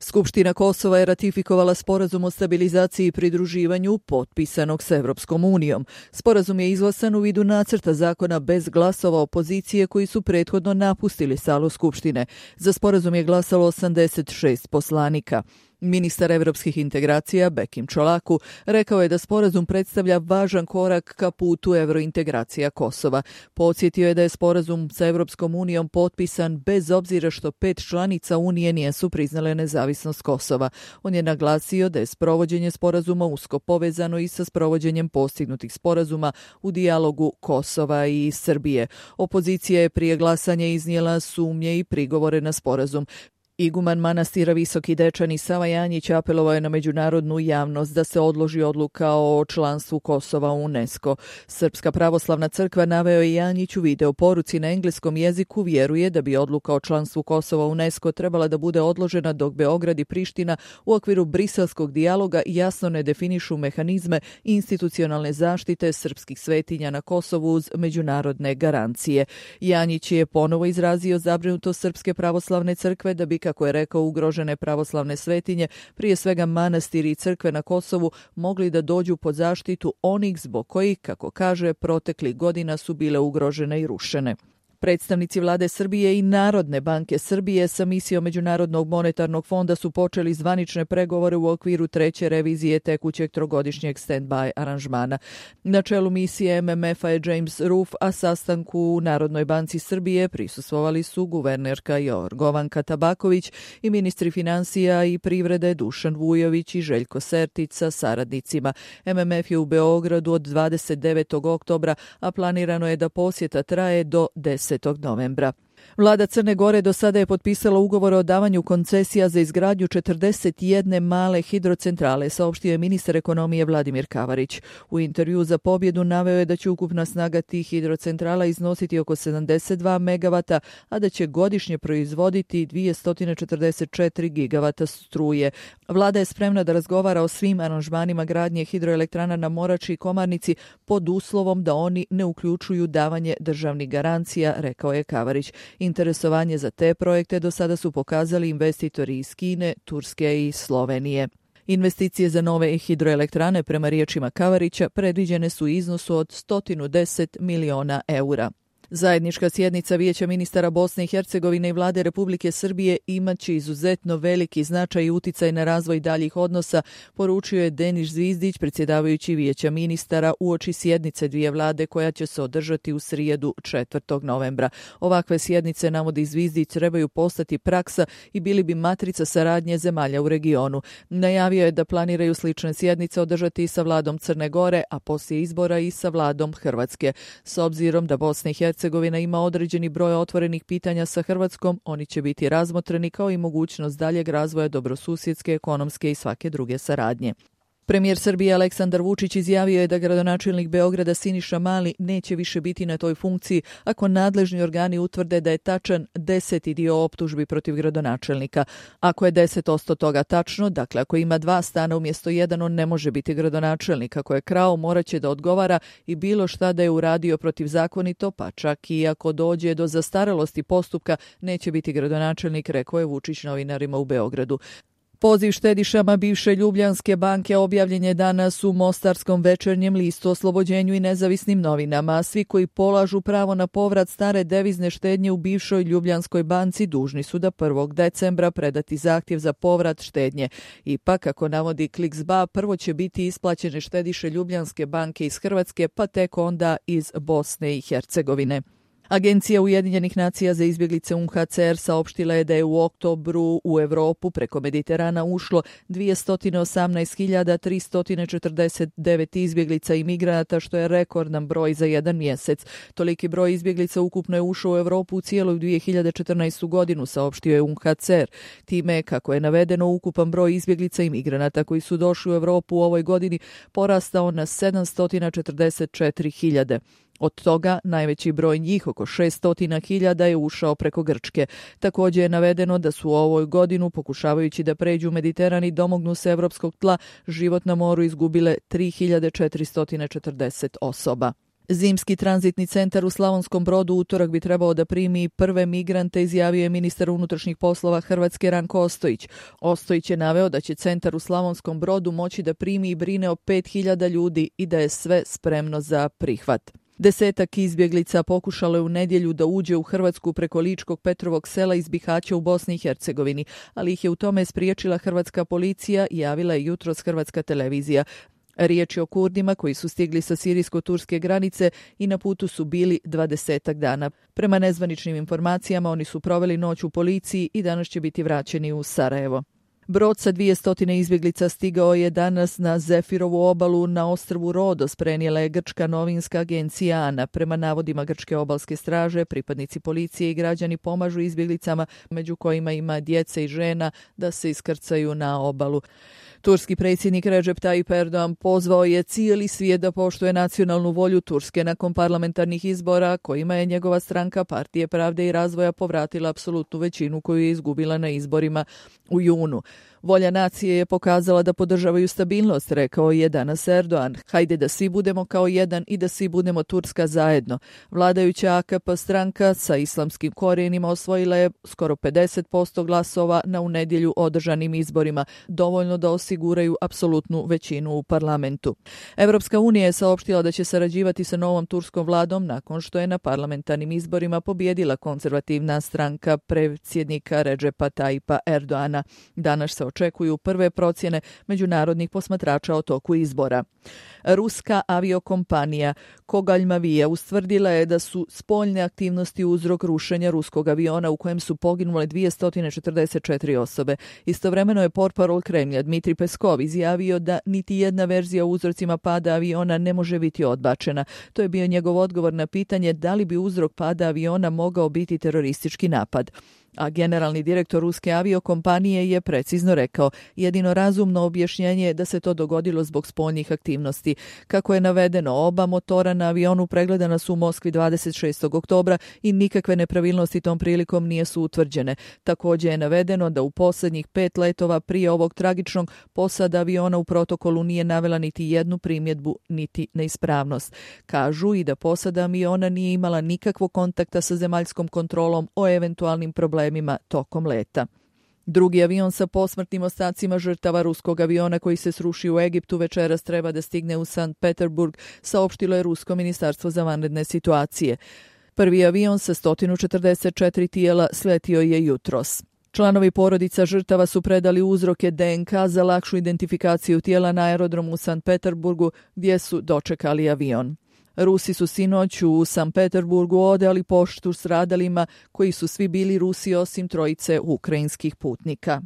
Skupština Kosova je ratifikovala sporazum o stabilizaciji i pridruživanju potpisanog s Evropskom unijom. Sporazum je izglasan u vidu nacrta zakona bez glasova opozicije koji su prethodno napustili salu Skupštine. Za sporazum je glasalo 86 poslanika. Ministar evropskih integracija Bekim Čolaku rekao je da sporazum predstavlja važan korak ka putu evrointegracija Kosova. Podsjetio je da je sporazum sa Evropskom unijom potpisan bez obzira što 5 članica Unije nisu priznale nezavisnost Kosova. On je naglasio da je sprovođenje sporazuma usko povezano i sa sprovođenjem postignutih sporazuma u dijalogu Kosova i Srbije. Opozicija je prije glasanja iznijela sumnje i prigovore na sporazum. Iguman manastira Visoki Dečani Sava Janjić apelovao je na međunarodnu javnost da se odloži odluka o članstvu Kosova u UNESCO. Srpska pravoslavna crkva, naveo je Janjić u video poruci na engleskom jeziku, vjeruje da bi odluka o članstvu Kosova u UNESCO trebala da bude odložena dok Beograd i Priština u okviru briselskog dijaloga jasno ne definišu mehanizme institucionalne zaštite srpskih svetinja na Kosovu uz međunarodne garancije. Janjić je ponovo izrazio zabrinutost Srpske pravoslavne crkve da bi, kako je rekao, ugrožene pravoslavne svetinje, prije svega manastiri i crkve na Kosovu, mogli da dođu pod zaštitu onih zbog kojih, kako kaže, proteklih godina su bile ugrožene i rušene. Predstavnici vlade Srbije i Narodne banke Srbije sa misijom Međunarodnog monetarnog fonda su počeli zvanične pregovore u okviru 3. revizije tekućeg trogodišnjeg stand-by aranžmana. Na čelu misije MMF-a je James Roof, a sastanku u Narodnoj banci Srbije prisustvovali su guvernerka Jorgovanka Tabaković i ministri financija i privrede Dušan Vujović i Željko Sertić sa saradnicima. MMF je u Beogradu od 29. oktobra, a planirano je da posjeta traje do 10. novembra. Vlada Crne Gore do sada je potpisala ugovor o davanju koncesija za izgradnju 41 male hidrocentrale, saopštio je ministar ekonomije Vladimir Kavarić. U intervju za Pobjedu naveo je da će ukupna snaga tih hidrocentrala iznositi oko 72 megavata, a da će godišnje proizvoditi 244 gigavata struje. Vlada je spremna da razgovara o svim aranžmanima gradnje hidroelektrana na Morači i Komarnici pod uslovom da oni ne uključuju davanje državnih garancija, rekao je Kavarić. Interesovanje za te projekte do sada su pokazali investitori iz Kine, Turske i Slovenije. Investicije za nove hidroelektrane, prema riječima Kavarića, predviđene su u iznosu od 110 miliona eura. Zajednička sjednica Vijeća ministara Bosne i Hercegovine i Vlade Republike Srbije imaće izuzetno veliki značaj i uticaj na razvoj daljih odnosa, poručio je Denis Zvizdić, predsjedavajući Vijeća ministara, uoči sjednice dvije vlade koja će se održati u srijedu 4. novembra. Ovakve sjednice, navodi Zvizdić, trebaju postati praksa i bili bi matrica saradnje zemalja u regionu. Najavio je da planiraju slične sjednice održati i sa vladom Crne Gore, a poslije izbora i sa vladom Hrvatske. S obzirom da Bosna i Hercegovina ima određeni broj otvorenih pitanja sa Hrvatskom, oni će biti razmotreni kao i mogućnost daljeg razvoja dobrosusjedske, ekonomske i svake druge saradnje. Premijer Srbije Aleksandar Vučić izjavio je da gradonačelnik Beograda Siniša Mali neće više biti na toj funkciji ako nadležni organi utvrde da je tačan 10. dio optužbi protiv gradonačelnika. Ako je 10% toga tačno, dakle ako ima 2 stana umjesto 1, on ne može biti gradonačelnik. Ako je krao, morat će da odgovara i bilo šta da je uradio protivzakonito, pa čak i ako dođe do zastarelosti postupka, neće biti gradonačelnik, rekao je Vučić novinarima u Beogradu. Poziv štedišama bivše Ljubljanske banke objavljen je danas u Mostarskom Večernjem listu, Oslobođenju i Nezavisnim novinama. Svi koji polažu pravo na povrat stare devizne štednje u bivšoj Ljubljanskoj banci dužni su da 1. decembra predati zahtjev za povrat štednje. Ipak, kako navodi Kliks.ba, prvo će biti isplaćene štediše Ljubljanske banke iz Hrvatske, pa tek onda iz Bosne i Hercegovine. Agencija Ujedinjenih nacija za izbjeglice UNHCR saopštila je da je u oktobru u Evropu preko Mediterana ušlo 218.349 izbjeglica i migranata, što je rekordan broj za jedan mjesec. Toliki broj izbjeglica ukupno je ušao u Evropu u cijeloj 2014. godinu, saopštio je UNHCR. Time, kako je navedeno, ukupan broj izbjeglica i migranata koji su došli u Evropu u ovoj godini porastao na 744.000. Od toga najveći broj njih, oko 600.000, je ušao preko Grčke. Također je navedeno da su u ovoj godinu, pokušavajući da pređu Mediteran i domognu se evropskog tla, život na moru izgubile 3.440 osoba. Zimski tranzitni centar u Slavonskom Brodu utorak bi trebao da primi prve migrante, izjavio je ministar unutrašnjih poslova Hrvatske Ranko Ostojić. Ostojić je naveo da će centar u Slavonskom Brodu moći da primi i brine o 5.000 ljudi i da je sve spremno za prihvat. 10 izbjeglica pokušalo je u nedjelju da uđe u Hrvatsku preko Ličkog Petrovog sela iz Bihaća u Bosni i Hercegovini, ali ih je u tome spriječila hrvatska policija, javila je jutros Hrvatska televizija. Riječ je o Kurdima koji su stigli sa sirijsko-turske granice i na putu su bili 20 dana. Prema nezvaničnim informacijama oni su proveli noć u policiji i danas će biti vraćeni u Sarajevo. Brod sa 200 izbjeglica stigao je danas na Zefirovu obalu na ostrvu Rodos, prenijela je grčka novinska agencija ANA. Prema navodima grčke obalske straže, pripadnici policije i građani pomažu izbjeglicama, među kojima ima djece i žena, da se iskrcaju na obalu. Turski predsjednik Recep Tayyip Erdogan pozvao je cijeli svijet da poštuje nacionalnu volju Turske nakon parlamentarnih izbora, kojima je njegova stranka Partije pravde i razvoja povratila apsolutnu većinu koju je izgubila na izborima u junu. Volja nacije je pokazala da podržavaju stabilnost, rekao je danas Erdogan. Hajde da svi budemo kao jedan i da svi budemo Turska zajedno. Vladajuća AKP stranka sa islamskim korijenima osvojila je skoro 50% glasova na u nedjelju održanim izborima, dovoljno da osiguraju apsolutnu većinu u parlamentu. Evropska unija je saopštila da će sarađivati sa novom turskom vladom nakon što je na parlamentarnim izborima pobjedila konzervativna stranka predsjednika Recepa Tayyipa Erdogana. Danas se očekuju prve procjene međunarodnih posmatrača o toku izbora. Ruska aviokompanija Kogalj-Mavija ustvrdila je da su spoljne aktivnosti uzrok rušenja ruskog aviona u kojem su poginule 244 osobe. Istovremeno je portparol Kremlja Dmitri Peskov izjavio da niti jedna verzija o uzrocima pada aviona ne može biti odbačena. To je bio njegov odgovor na pitanje da li bi uzrok pada aviona mogao biti teroristički napad. A generalni direktor ruske aviokompanije je precizno rekao, jedino razumno objašnjenje je da se to dogodilo zbog spoljnih aktivnosti. Kako je navedeno, oba motora na avionu pregledana su u Moskvi 26. oktobra i nikakve nepravilnosti tom prilikom nije su utvrđene. Također je navedeno da u posljednjih 5 letova prije ovog tragičnog posada aviona u protokolu nije navela niti jednu primjedbu niti neispravnost. Kažu i da posada aviona nije imala nikakvog kontakta sa zemaljskom kontrolom o eventualnim problemima tokom leta. Drugi avion sa posmrtnim ostacima žrtava ruskog aviona koji se srušio u Egiptu večeras treba da stigne u Sankt Peterburg, saopštilo je Rusko ministarstvo za vanredne situacije. Prvi avion sa 144 tijela sletio je jutros. Članovi porodica žrtava su predali uzroke DNK za lakšu identifikaciju tijela na aerodromu u Sankt Peterburgu gdje su dočekali avion. Rusi su sinoć u Sankt Peterburgu odali poštu stradalima koji su svi bili Rusi osim trojice ukrajinskih putnika.